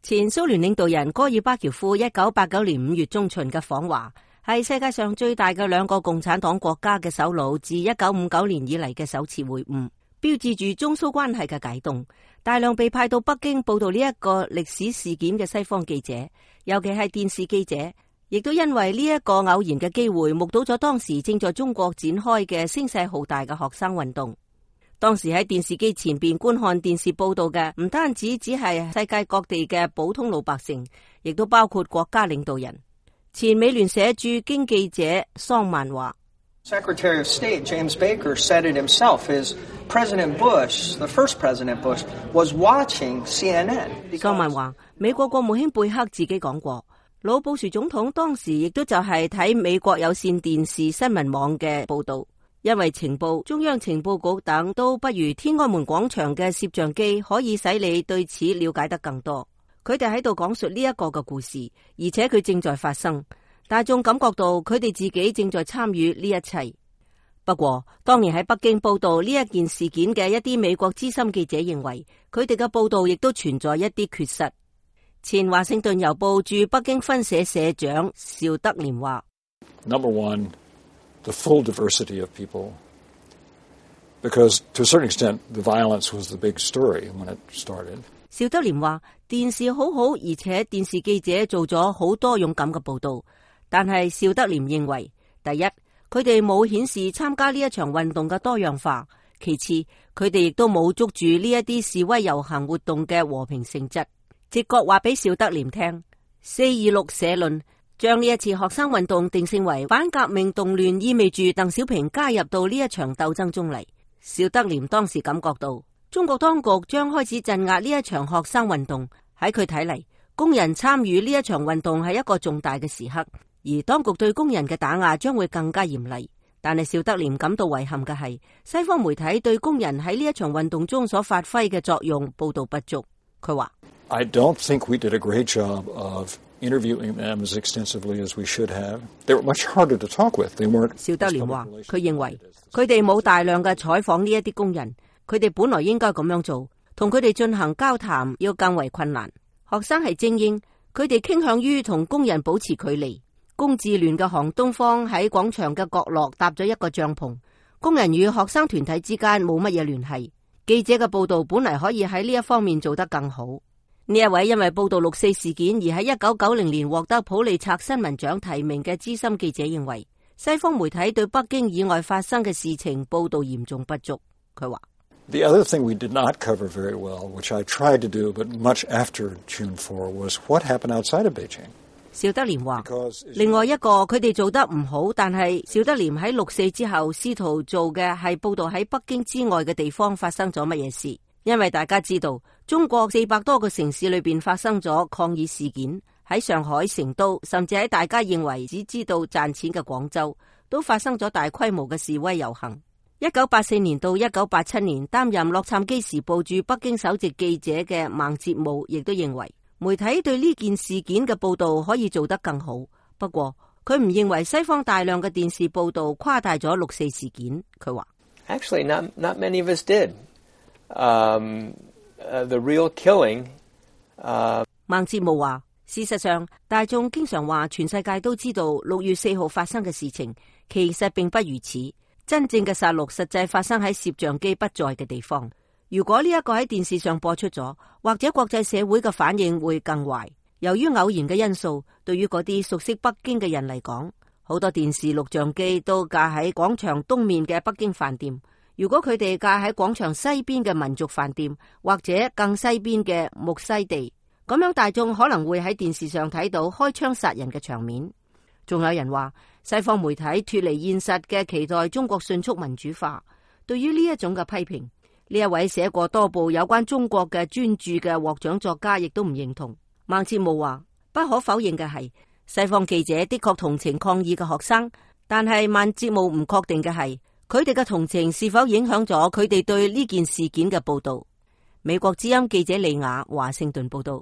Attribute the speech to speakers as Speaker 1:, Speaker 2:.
Speaker 1: 前蘇聯領導人戈爾巴喬夫1989年5月中旬嘅訪華，係世界上最大嘅兩個共產黨國家嘅首腦自1959年以嚟嘅首次會晤，標誌住中蘇關係嘅解凍。大量被派到北京報道呢一個歷史事件嘅西方記者，尤其係電視記者，亦都因為呢一個偶然嘅機會，目睹咗當時正在中國展開嘅聲勢浩大嘅學生運動。當時喺電視機前邊觀看電視報道嘅，唔單止只係世界各地嘅普通老百姓，亦都包括國家領導人。前美聯社駐京記者桑曼話
Speaker 2: Secretary of State James Baker said it himself. His President Bush, the first President Bush, was watching CNN.
Speaker 1: 桑曼話，美國國務卿貝克自己講過，老布殊總統當時亦都就係睇美國有線電視新聞網嘅報道。因為情報、中央情報局等都不如天安門廣場嘅攝像機可以使你對此了解得更多。佢哋喺度講述呢一個嘅故事，而且佢正在發生，大眾感覺到佢哋自己正在參與呢一切。不過，當年喺北京報道呢一件事件嘅一啲美國資深記者認為，佢哋嘅報道亦都存在一啲缺失。前華盛頓郵報駐北京分社社長邵德廉話
Speaker 3: ：Number one, the full diversity of people, because to a certain extent, the violence was the big story when it started.
Speaker 1: 邵德廉話：電視好好，而且電視記者做咗好多勇敢嘅報道。但係邵德廉認為，第一，佢哋冇顯示參加呢一場運動嘅多樣化；其次，佢哋亦都冇捉住呢一啲示威遊行活動嘅和平性質。直覺話俾邵德廉聽，426社論將呢一次學生運動定性為反革命動亂，意味住鄧小平加入到呢一場鬥爭中嚟。邵德廉當時感覺到中國當局將開始鎮壓呢一場學生運動，喺佢睇嚟，工人參與呢一場運動係一個重大嘅時刻，而當局對工人嘅打壓將會更加嚴厲。但係邵德廉感到遺憾嘅係，西方媒體對工人喺呢一場運動中所發揮嘅作用報道不足。佢話
Speaker 3: I don't think we did a great job of interviewing them as extensively as we should have. They were much harder to talk with. They weren't.
Speaker 1: 邵德廉話，佢認為佢哋冇大量嘅採訪呢一啲工人，佢哋本來應該咁樣做，同佢哋進行交談要更為困難。學生係精英，佢哋傾向於同工人保持距離。工自聯嘅韓東方喺廣場嘅角落搭咗一個帳篷，工人與學生團體之間冇乜嘢聯繫。記者嘅報道本嚟可以喺呢一方面做得更好。呢一位因為報道6·4事件而喺1990年獲得普利策新聞獎提名嘅資深記者認為，西方媒體對北京以外發生嘅事情報道嚴重不足。佢話
Speaker 3: The other thing we did not cover very well, which I tried to do, but much after June 4, was what happened outside of Beijing.
Speaker 1: 邵德廉話，另外一個佢哋做得唔好，但係邵德廉喺6·4之後試圖做嘅係報道喺北京之外嘅地方發生咗乜嘢事。因為大家知道，中國400多個城市裏邊發生咗抗議事件，喺上海、成都，甚至喺大家認為只知道賺錢嘅廣州，都發生咗大規模嘅示威遊行。1984年到1987年擔任洛杉磯時報駐北京首席記者嘅孟哲武亦都認為，媒體對呢件事件嘅報道可以做得更好。不過佢唔認為西方大量嘅電視報道誇大咗6·4事件。佢話
Speaker 2: Actually, not many of us did. The real killing.
Speaker 1: 孟哲武話，事實上，大眾經常話全世界都知道6月4號發生嘅事情，其實並不如此。真正嘅殺戮實際發生喺攝像機不在嘅地方。如果呢一個喺電視上播出咗，或者國際社會嘅反應會更壞。由於偶然嘅因素，對於嗰啲熟悉北京嘅人嚟講，好多電視錄像機都架喺廣場東面嘅北京飯店。如果佢哋架喺廣場西邊嘅民族飯店，或者更西邊嘅木西地，咁樣大眾可能會喺電視上睇到開槍殺人嘅場面。仲有人話，西方媒體脫離現實嘅期待中國迅速民主化。對於呢一種嘅批評，呢一位寫過多部有關中國嘅專著嘅獲獎作家亦都唔認同。孟哲武話，不可否認嘅係，西方記者的確同情抗議嘅學生，但係孟哲武唔確定嘅係，佢哋嘅同情是否影響咗佢哋對呢件事件嘅報道。美國之音記者李雅華盛頓報道。